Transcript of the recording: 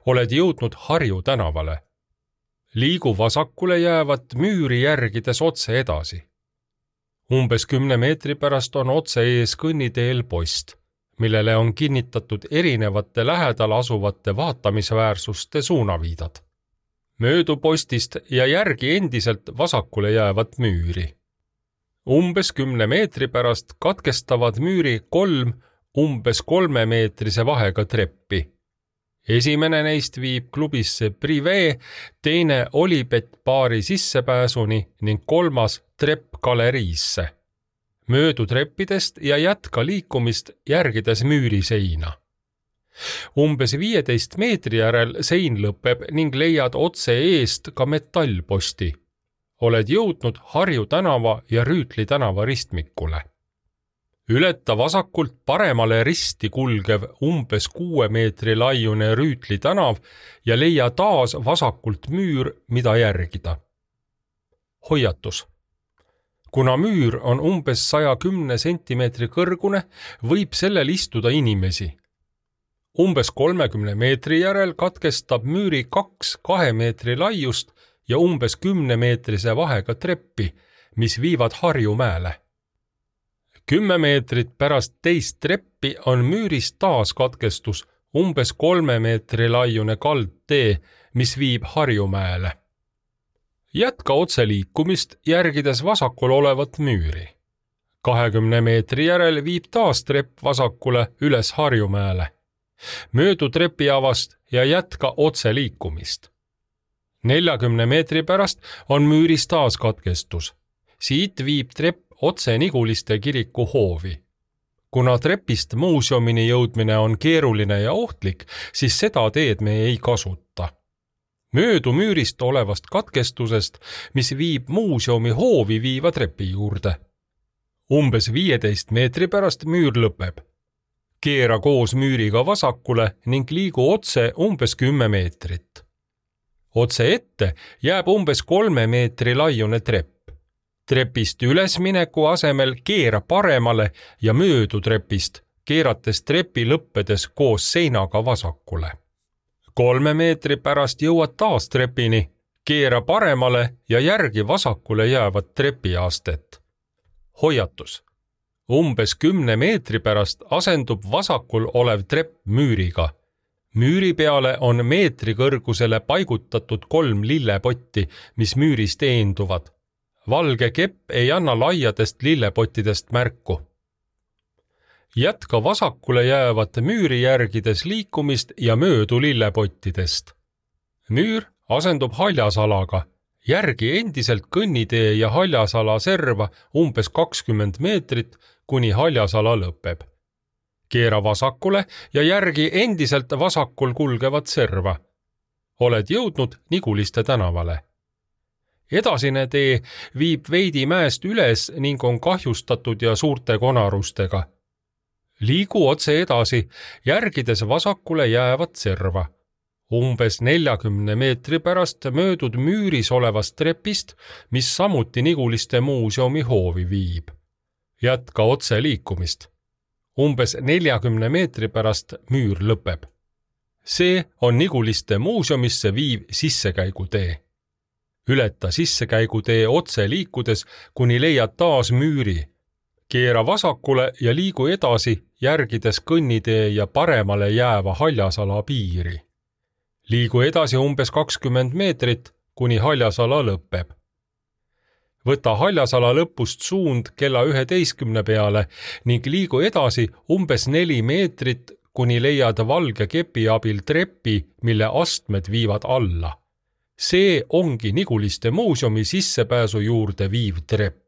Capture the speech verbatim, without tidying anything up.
Oled jõudnud Harju tänavale. Liigu vasakule jäävat müüri järgides otse edasi. Umbes kümne meetri pärast on otse ees kõnniteel post, millele on kinnitatud erinevate lähedal asuvate vaatamisväärsuste suunaviidad. Möödu postist ja järgi endiselt vasakule jäävat müüri. Umbes kümne meetri pärast katkestavad müüri kolm umbes kolmemeetrise vahega treppi. Esimene neist viib klubisse Privé, teine Olibet baari sissepääsuni ning kolmas trepp galeriisse. Möödu treppidest ja jätka liikumist järgides müüri seina. Umbes viieteist meetri järel sein lõpeb ning leiad otse eest ka metallposti. Oled jõudnud Harju tänava ja Rüütli tänava ristmikule. Ületa vasakult paremale risti kulgev umbes kuue meetri laiune Rüütli tänav ja leia taas vasakult müür, mida järgida. Hoiatus. Kuna müür on umbes saja kümne sentimeetri kõrgune, võib sellel istuda inimesi. Umbes kolmekümne meetri järel katkestab müüri kaks kahe meetri laiust ja umbes kümne meetrise vahega treppi, mis viivad Harjumäele. Kümme meetrit pärast teist treppi on müüris taas katkestus umbes kolme meetri laiune kaldtee, mis viib Harjumäele. Jätka otse liikumist järgides vasakul olevat müüri. kahekümne meetri järel viib taas trepp vasakule üles Harjumäele. Möödu trepiavast ja jätka otse liikumist. neljakümne meetri pärast on müüris taas katkestus. Siit viib trepp otse Niguliste kiriku hoovi. Kuna trepist muuseumini jõudmine on keeruline ja ohtlik, siis seda teed me ei kasuta. Möödu müürist olevast katkestusest, mis viib muuseumi hoovi viiva trepi juurde. Umbes viieteist meetri pärast müür lõpeb. Keera koos müüriga vasakule ning liigu otse umbes kümme meetrit. Otse ette jääb umbes kolme meetri laiune trepp. Trepist ülesmineku asemel keera paremale ja möödu trepist, keerates trepi lõppedes koos seinaga vasakule. Kolme meetri pärast jõuad taas trepini, keera paremale ja järgi vasakule jäävat trepiastet. Hoiatus. Umbes kümne meetri pärast asendub vasakul olev trepp müüriga. Müüri peale on meetri kõrgusele paigutatud kolm lillepotti, mis müüris teenduvad. Valge kepp ei anna laiadest lillepottidest märku. Jätka vasakule jäävat müüri järgides liikumist ja möödu lillepottidest. Müür asendub haljasalaga, järgi endiselt kõnnitee ja haljasala serva umbes kakskümmend meetrit, kuni haljasala lõpeb. Keera vasakule ja järgi endiselt vasakul kulgevat serva. Oled jõudnud Niguliste tänavale. Edasine tee viib veidi mäest üles ning on kahjustatud ja suurte konarustega. Liigu otse edasi, järgides vasakule jäävat serva. Umbes neljakümne meetri pärast möödud müüris olevast trepist, mis samuti Niguliste muuseumi hoovi viib. Jätka otse liikumist. Umbes neljakümne meetri pärast müür lõpeb. See on Niguliste muuseumisse viiv sissekäigutee. Ületa sissekäigutee otse liikudes, kuni leiad taas müüri. Keera vasakule ja liigu edasi, järgides kõnnitee ja paremale jääva haljasala piiri. Liigu edasi umbes kakskümmend meetrit, kuni haljasala lõpeb. Võta haljasala lõpust suund kella üheteistkümne peale ning liigu edasi umbes neli meetrit, kuni leiad valge kepi abil trepi, mille astmed viivad alla. See ongi Niguliste muuseumi sissepääsu juurde viiv trepp.